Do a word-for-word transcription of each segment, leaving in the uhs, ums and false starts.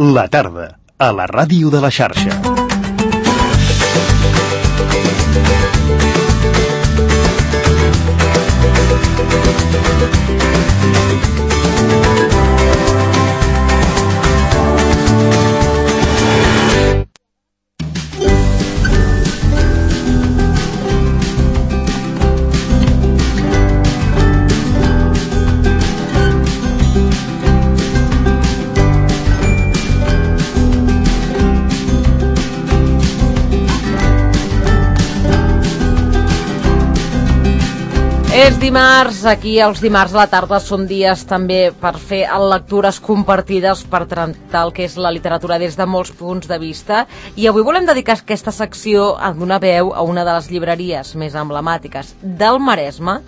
La tarda, a la ràdio de la xarxa. És dimarts, aquí els dimarts a la tarda són dies també per fer lectures compartides, per tractar el que és la literatura des de molts punts de vista, i avui volem dedicar aquesta secció a donar veu a una de les llibreries més emblemàtiques del Maresme,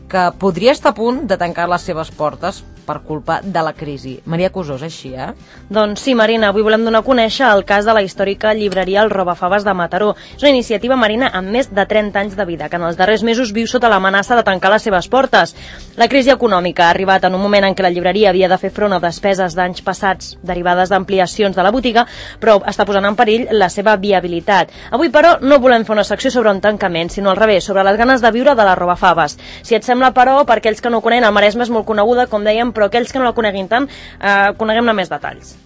que podria estar a punt de tancar les seves portes per culpa de la crisi. Maria Cusó, és així, eh? Doncs sí, Marina, avui volem donar a conèixer el cas de la històrica llibreria El Robafaves de Mataró. És una iniciativa, Marina, amb més de trenta anys de vida, que en els darrers mesos viu sota l'amenaça de tancar les seves portes. La crisi econòmica ha arribat en un moment en què la llibreria havia de fer front a despeses d'anys passats derivades d'ampliacions de la botiga, però està posant en perill la seva viabilitat. Avui, però, no volem fer una secció sobre un tancament, sinó al revés, sobre les ganes de viure de la Robafaves. Si et sembla, però, per aquells que no ho coneixen, el Maresme és molt coneguda, com dèiem, però aquells que no la coneguin tant, eh, coneguem-ne més detalls.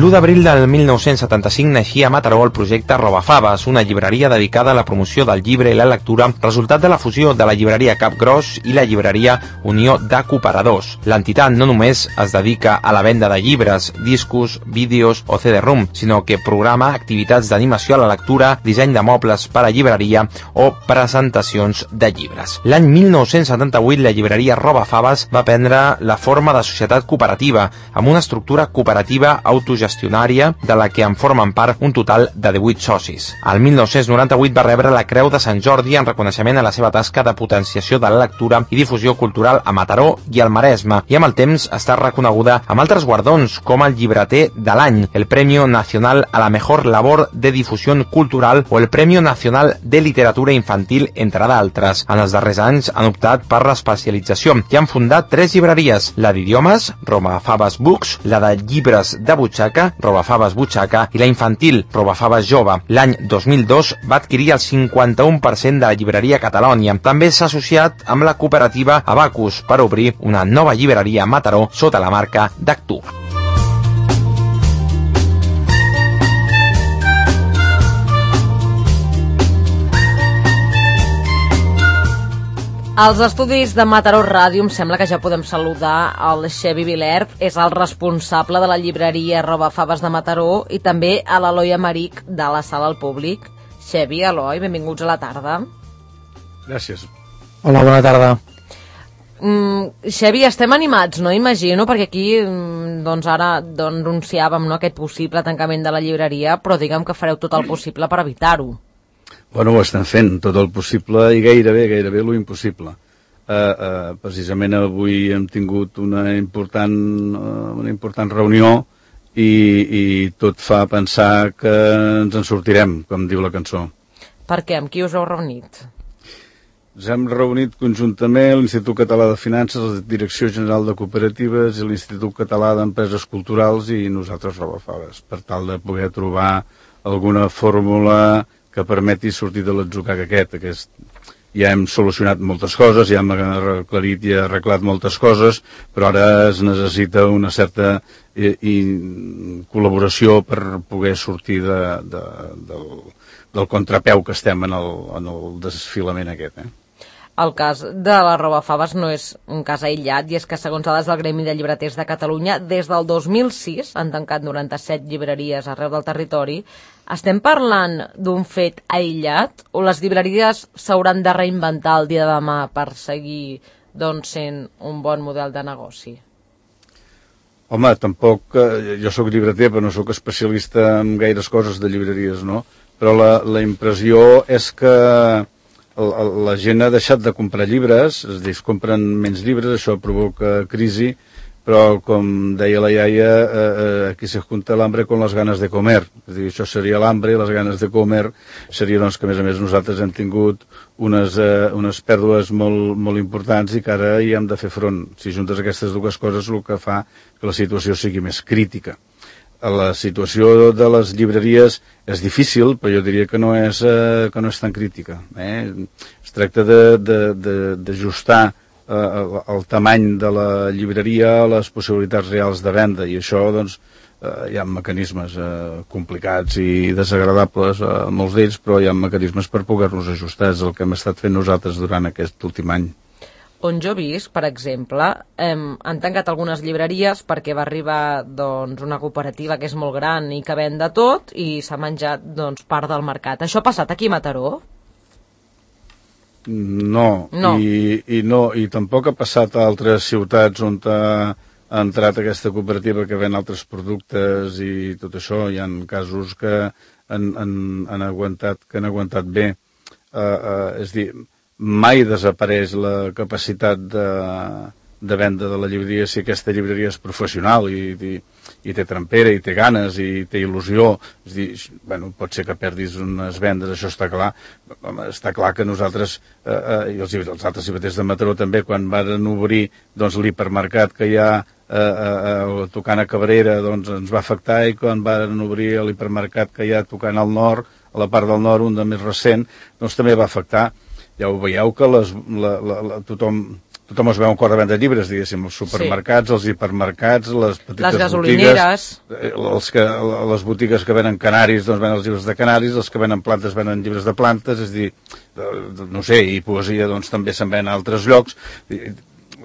l'u d'abril del mil nou-cents setanta-cinc naixia a Mataró el projecte Robafaves, una llibreria dedicada a la promoció del llibre i la lectura, resultat de la fusió de la llibreria Capgròs i la llibreria Unió de Cooperadors. L'entitat no només es dedica a la venda de llibres, discos, vídeos o C D-ROM, sinó que programa activitats d'animació a la lectura, disseny de mobles per a llibreria o presentacions de llibres. L'any mil nou-cents setanta-vuit la llibreria Robafaves va prendre la forma de societat cooperativa, amb una estructura cooperativa autogestionada de la que en formen part un total de divuit socis. El mil nou-cents noranta-vuit va rebre la Creu de Sant Jordi en reconeixement a la seva tasca de potenciació de la lectura i difusió cultural a Mataró i al Maresme, i amb el temps està reconeguda amb altres guardons com el Llibreter de l'any, el Premio Nacional a la Mejor Labor de Difusión Cultural o el Premio Nacional de Literatura Infantil, entre d'altres. En els darrers anys han optat per l'especialització i han fundat tres llibreries, la d'idiomes, Robafaves Books, la de llibres de butxaca, Robafaves Butxaca, i la infantil, Robafaves Jove. L'any dos mil dos va adquirir el cinquanta-u per cent de la llibreria Catalònia. També s'ha associat amb la cooperativa Abacus per obrir una nova llibreria a Mataró sota la marca d'Actua. Als estudis de Mataró Ràdio em sembla que ja podem saludar el Xevi Vilert, és el responsable de la llibreria Robafaves de Mataró, i també a l'Eloi Amaric de la Sala al Públic. Xevi, Eloi, benvinguts a la tarda. Gràcies. Hola, bona tarda. Mm, Xevi, estem animats, no? Imagino, perquè aquí doncs ara doncs, anunciàvem no, aquest possible tancament de la llibreria, però diguem que fareu tot el possible per evitar-ho. Bueno, ho estem fent, tot el possible i gairebé, gairebé lo impossible. Uh, uh, precisament avui hem tingut una important, uh, una important reunió i, i tot fa pensar que ens en sortirem, com diu la cançó. Per què? Amb qui us heu reunit? Ens hem reunit conjuntament l'Institut Català de Finances, la Direcció General de Cooperatives i l'Institut Català d'Empreses Culturals i nosaltres Robafaves, per tal de poder trobar alguna fórmula que permeti sortir de l'atzucac aquest. aquest. Ja hem solucionat moltes coses, ja hem aclarit i arreglat moltes coses, però ara es necessita una certa i, i col·laboració per poder sortir de, de, del, del contrapeu que estem en el, en el desfilament aquest. Eh? El cas de la Robafaves no és un cas aïllat, i és que, segons dades del Gremi de Llibreters de Catalunya, des del dos mil sis han tancat noranta-set llibreries arreu del territori. Estem parlant d'un fet aïllat o les llibreries s'hauran de reinventar el dia de demà per seguir doncs, sent un bon model de negoci? Home, tampoc, eh, jo sóc llibreter, però no sóc especialista en gaires coses de llibreries, no? Però la, la impressió és que la gent ha deixat de comprar llibres, és a dir, es compren menys llibres, això provoca crisi, però com deia la iaia, eh, eh, aquí se junta l'hambre con les ganes de comer. És a dir, això seria l'hambre, les ganes de comer seria doncs, que a més a més nosaltres hem tingut unes, eh, unes pèrdues molt, molt importants i que ara hi hem de fer front. Si juntes aquestes dues coses, el que fa que la situació sigui més crítica. La situació de les llibreries és difícil, però jo diria que no és, eh, que no és tan crítica. Eh? Es tracta d'ajustar eh, el, el tamany de la llibreria a les possibilitats reals de venda, i això doncs, eh, hi ha mecanismes eh, complicats i desagradables, eh, molts d'ells, però hi ha mecanismes per poder-nos ajustar. És el que hem estat fent nosaltres durant aquest últim any. On jo visc, per exemple, eh, han tancat algunes llibreries perquè va arribar doncs, una cooperativa que és molt gran i que ven de tot i s'ha menjat doncs, part del mercat. Això ha passat aquí a Mataró? No, no. I, i no, i tampoc ha passat a altres ciutats on ha, ha entrat aquesta cooperativa que ven altres productes i tot això. Hi ha casos que han, han, han, aguantat, que han aguantat bé. Uh, uh, és dir, mai desapareix la capacitat de, de venda de la llibreria si aquesta llibreria és professional i, i, i té trempera, i té ganes, i té il·lusió. És dir, bueno, pot ser que perdis unes vendes, això està clar. Està clar que nosaltres, eh, eh, i els, els altres llibreters de Mataró també, quan van obrir doncs, l'hipermercat que hi ha eh, eh, tocant a Cabrera, doncs ens va afectar, i quan van obrir l'hipermercat que hi ha tocant al nord, a la part del nord, un de més recent, doncs també va afectar. Ja ho veieu que les, la, la, la, tothom, tothom es veu un cor de venda de llibres, diguéssim, els supermercats, sí. Els hipermercats, les petites les gasolineres, botigues, els que, les botigues que venen canaris, doncs venen els llibres de canaris, els que venen plantes venen llibres de plantes, és dir, no sé, i poesia doncs també se'n ven a altres llocs.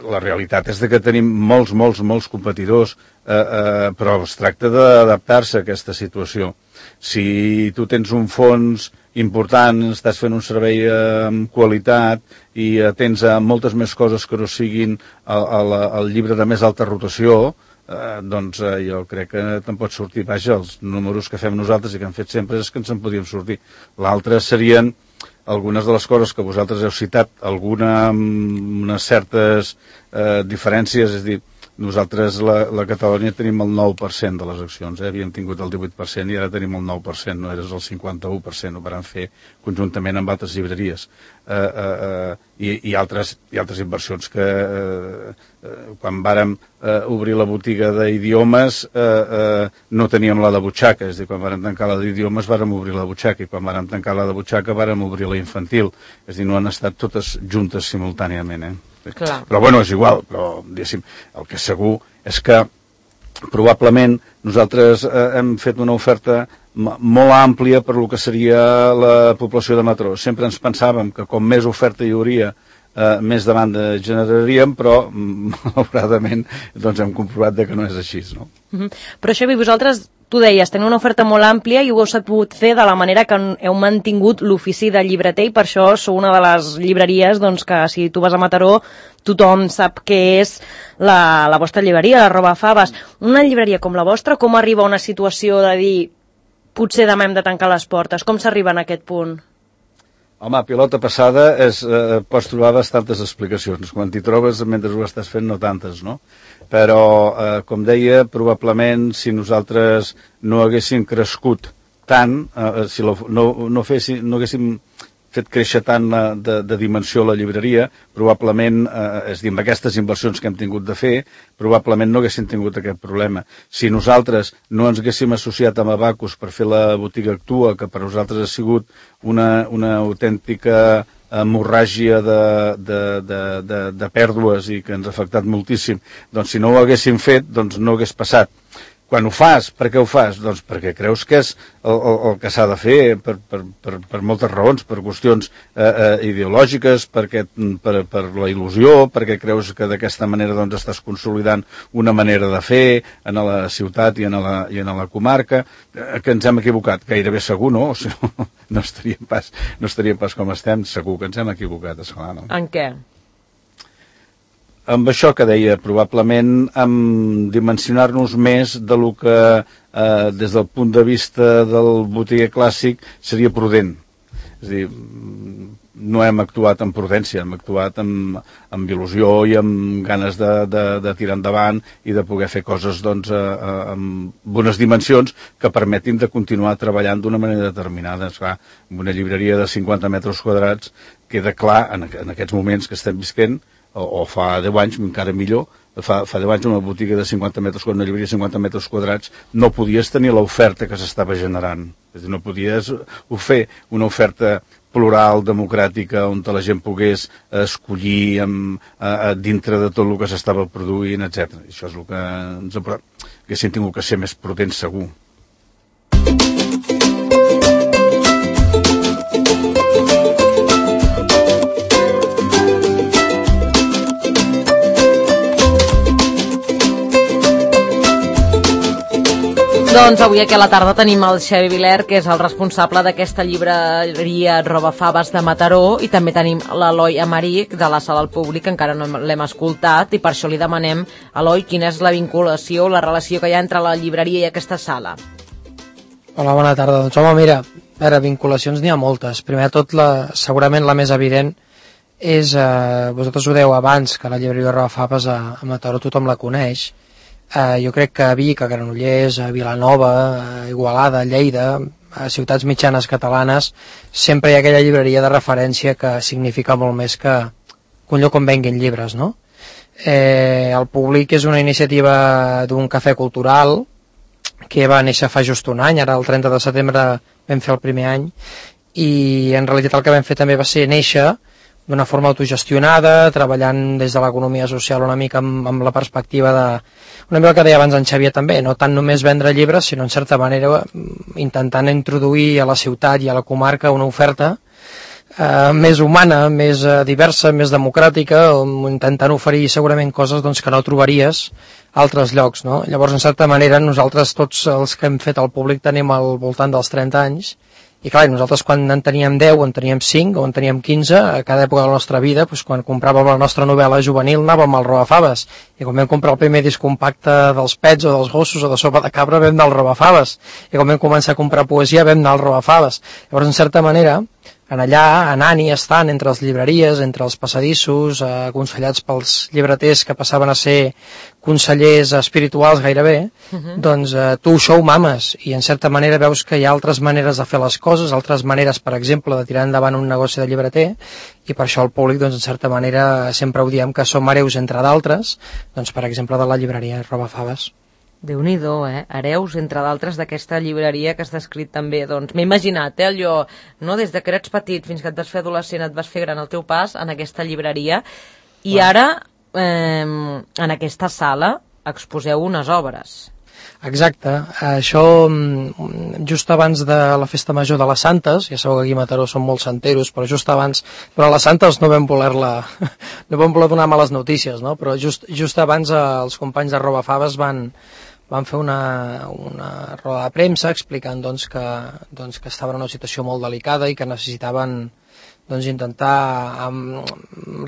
La realitat és que tenim molts, molts, molts competidors, eh, eh, però es tracta d'adaptar-se a aquesta situació. Si tu tens un fons important, estàs fent un servei amb qualitat i tens a moltes més coses que no siguin el, el, el llibre de més alta rotació, eh, doncs eh, jo crec que te'n pots sortir. Vaja, els números que fem nosaltres i que hem fet sempre és que ens en podíem sortir. L'altre serien algunes de les coses que vosaltres heu citat, alguna, unes certes eh, diferències, és a dir, nosaltres, la, la Catalunya, tenim el nou per cent de les accions, eh? Havíem tingut el divuit per cent i ara tenim el nou per cent, no eres el cinquanta-u per cent, ho vam fer conjuntament amb altres llibreries. Eh, eh, eh, i, i, altres, i altres inversions que eh, eh, quan vàrem eh, obrir la botiga d'idiomes eh, eh, no teníem la de butxaca, és a dir, quan vàrem tancar la d'idiomes vàrem obrir la butxaca, i quan vàrem tancar la de butxaca vàrem obrir la infantil, és a dir, no han estat totes juntes simultàniament, eh? Clar. Però bueno, és igual, però diguéssim, el que és segur és que probablement nosaltres eh, hem fet una oferta molt àmplia per lo que seria la població de Mataró. Sempre ens pensàvem que com més oferta hi hauria, eh, més demanda generaríem, però malauradament doncs hem comprovat de que no és així, no? Mm-hmm. Però Xavi, vosaltres, tu deies, teniu una oferta molt àmplia i ho heu sabut fer de la manera que heu mantingut l'ofici de llibreter, i per això sou una de les llibreries doncs, que si tu vas a Mataró tothom sap que és la, la vostra llibreria, la Robafaves. Una llibreria com la vostra, com arriba a una situació de dir potser demà hem de tancar les portes? Com s'arriba en aquest punt? Home, pilota passada és, eh, pots trobar bastantes explicacions. Quan t'hi trobes, mentre ho estàs fent, no tantes, no? Però, eh, com deia, probablement si nosaltres no haguéssim crescut tant, eh, si lo, no, no, fessi, no haguéssim fet créixer tant la, de, de dimensió la llibreria, probablement, eh, és a dir, amb aquestes inversions que hem tingut de fer, probablement no haguéssim tingut aquest problema. Si nosaltres no ens haguéssim associat amb Abacus per fer la botiga Actua, que per nosaltres ha sigut una, una autèntica hemorràgia de, de, de, de, de pèrdues i que ens ha afectat moltíssim, doncs si no ho haguéssim fet, doncs no hagués passat. Quan ho fas, per què ho fas? Doncs perquè creus que és el, el, el que s'ha de fer per, per, per, per moltes raons, per qüestions eh, eh, ideològiques, perquè, per, per la il·lusió, perquè creus que d'aquesta manera doncs, estàs consolidant una manera de fer en la ciutat i en la, i en la comarca, eh, que ens hem equivocat. Gairebé segur, no? O sigui, no, no, estaríem pas, no estaríem pas com estem, segur que ens hem equivocat, esclar, no? En què? Amb això que deia, probablement amb dimensionar-nos més de lo que eh, des del punt de vista del botiguer clàssic seria prudent. És a dir, no hem actuat amb prudència, hem actuat amb, amb il·lusió i amb ganes de, de, de tirar endavant i de poder fer coses doncs, a, a, amb unes dimensions que permetin de continuar treballant d'una manera determinada. Esclar, en una llibreria de cinquanta metres quadrats queda clar en, en aquests moments que estem visquent, o, o fa deu anys, encara millor, fa, fa deu anys una botiga de cinquanta metres quadrats, una llibreria de cinquanta metres quadrats, no podies tenir l'oferta que s'estava generant. És a dir, no podies fer una oferta plural, democràtica, on la gent pogués escollir amb, a, a, dintre de tot el que s'estava produint, etcètera. Això és el que ens ha... haguéssim tingut que ser més prudents, segur. Doncs avui aquí a la tarda tenim el Xavi Viler, que és el responsable d'aquesta llibreria Robafaves de Mataró, i també tenim l'Eloi Amaric, de la Sala al Públic, que encara no l'hem escoltat, i per això li demanem, Eloi, quina és la vinculació, la relació que hi ha entre la llibreria i aquesta sala. Hola, bona tarda. Doncs home, mira, a veure, vinculacions n'hi ha moltes. Primer de tot, la, segurament la més evident és, eh, vosaltres ho dèieu abans, que la llibreria Robafaves a, a Mataró tothom la coneix. Uh, jo crec que a Vic, a Granollers, a Vilanova, a Igualada, a Lleida, a ciutats mitjanes catalanes, sempre hi ha aquella llibreria de referència que significa molt més que, que un lloc on venguin llibres, no? Eh, el Públic és una iniciativa d'un cafè cultural que va néixer fa just un any, ara el trenta de setembre vam fer el primer any, i en realitat el que vam fer també va ser néixer d'una forma autogestionada, treballant des de l'economia social una mica amb, amb la perspectiva de, una mica el que deia abans en Xavier també, no tant només vendre llibres, sinó en certa manera intentant introduir a la ciutat i a la comarca una oferta eh, més humana, més eh, diversa, més democràtica, intentant oferir segurament coses doncs, que no trobaries a altres llocs, no? Llavors, en certa manera, nosaltres tots els que hem fet al Públic tenim al voltant dels trenta anys. I clar, nosaltres quan en teníem deu, o en teníem cinc, o en teníem quinze, a cada època de la nostra vida, doncs, quan compràvem la nostra novel·la juvenil, anàvem al Robafaves. I quan vam comprar el primer disc compacte dels Pets o dels Gossos o de Sopa de Cabra, vam anar al Robafaves. I quan vam començar a comprar poesia, vam anar al Robafaves. Llavors, en certa manera, en allà, anant i estant entre les llibreries, entre els passadissos, eh, aconsellats pels llibreters que passaven a ser consellers espirituals gairebé, uh-huh. doncs eh, tu això ho mames, i en certa manera veus que hi ha altres maneres de fer les coses, altres maneres, per exemple, de tirar endavant un negoci de llibreter, i per això el Públic, doncs, en certa manera, sempre ho diem que som hereus entre d'altres, doncs, per exemple, de la llibreria Robafaves. Déu-n'hi-do, eh? Hereus, entre d'altres, d'aquesta llibreria que has descrit també. Doncs m'he imaginat, eh, allò, no? Des de que eres petit fins que et vas fer adolescent, et vas fer gran el teu pas en aquesta llibreria, i ara, eh, en aquesta sala, exposeu unes obres. Exacte, això just abans de la festa major de les Santes, ja sabeu que aquí a Mataró són molt santeros, però just abans, però a les Santes no vam voler-la, no vam voler donar males notícies, no? Però just, just abans eh, els companys de Robafaves van, van fer una, una roda de premsa explicant doncs, que, doncs, que estaven en una situació molt delicada i que necessitaven doncs, intentar amb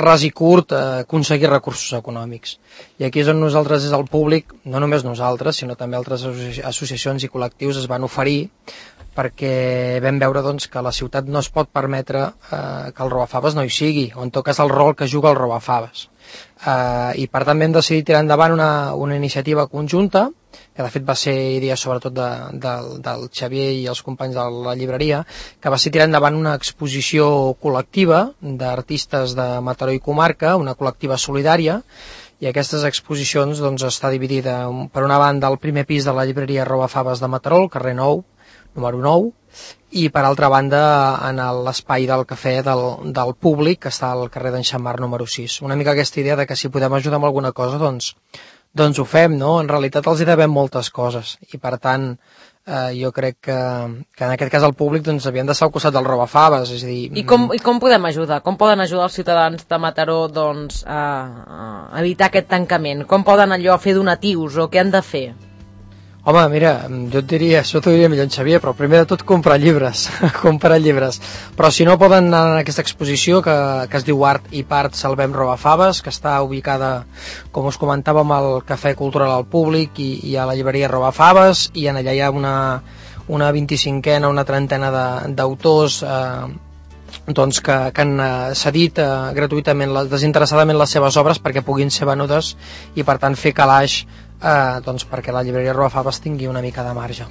ras i curt eh, aconseguir recursos econòmics. I aquí és on nosaltres, des del Públic, no només nosaltres, sinó també altres associacions i col·lectius es van oferir, perquè vam veure doncs, que la ciutat no es pot permetre eh, que el Robafaves no hi sigui, o en tot cas el rol que juga el Robafaves. Eh, I per tant vam decidir tirar endavant una, una iniciativa conjunta, que de fet va ser idea sobretot de, de, del Xavier i els companys de la llibreria, que va ser tirar endavant una exposició col·lectiva d'artistes de Mataró i comarca, una col·lectiva solidària, i aquestes exposicions doncs, està dividida per una banda al primer pis de la llibreria Robafaves de Mataró, al carrer nou, número nou, i per altra banda en l'espai del cafè del, del Públic, que està al carrer d'en Xammar número sis. Una mica aquesta idea de que si podem ajudar amb alguna cosa, doncs, doncs ho fem, no? En realitat els hi devem moltes coses, i per tant eh, jo crec que, que en aquest cas el Públic doncs, havien d'estar al costat del Robafaves, és a dir... I com, I com podem ajudar? Com poden ajudar els ciutadans de Mataró doncs, a, a evitar aquest tancament? Com poden allò fer donatius o què han de fer? Home, mira, jo et diria, això t'ho diria millor en Xavier, però primer de tot comprar llibres, comprar llibres. Però si no poden anar a aquesta exposició que, que es diu Art i Part Salvem Robafaves, que està ubicada, com us comentàvem, al Cafè Cultural al Públic i, i a la llibreria Robafaves, i en allà hi ha una, una vint-i-cinquena, una trentena d'autors eh, doncs, que, que han eh, cedit eh, gratuïtament, les, desinteressadament les seves obres perquè puguin ser venudes i per tant fer calaix eh, doncs, perquè la llibreria Robafaves tingui una mica de marge.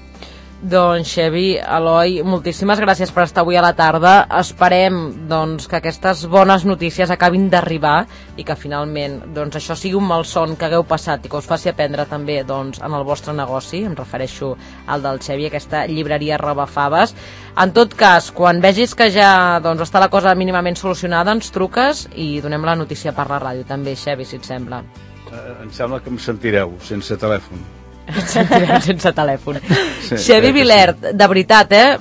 Doncs Xevi, Eloi, moltíssimes gràcies per estar avui a la tarda. Esperem doncs, que aquestes bones notícies acabin d'arribar i que finalment doncs, això sigui un malson que hagueu passat i que us faci aprendre també doncs, en el vostre negoci. Em refereixo al del Xevi, aquesta llibreria Robafaves. En tot cas, quan vegis que ja doncs, està la cosa mínimament solucionada, ens truques i donem la notícia per la ràdio també, Xevi, si et sembla. Eh, em sembla que em sentireu sense telèfon. Ens sentirem sense telèfon. Sí, Xevi Vilert, de veritat, eh?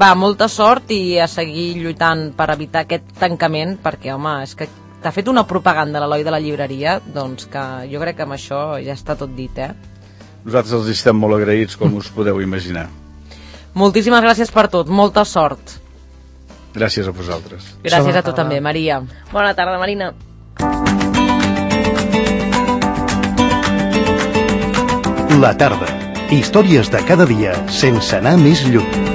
Va, molta sort i a seguir lluitant per evitar aquest tancament, perquè, home, és que t'ha fet una propaganda l'Eloi de la llibreria, doncs que jo crec que amb això ja està tot dit, eh? Nosaltres els estem molt agraïts, com us podeu imaginar. Moltíssimes gràcies per tot, molta sort. Gràcies a vosaltres. Gràcies a tu també, Maria. Bona tarda, Marina. La tarda. Històries de cada dia sense anar més lluny.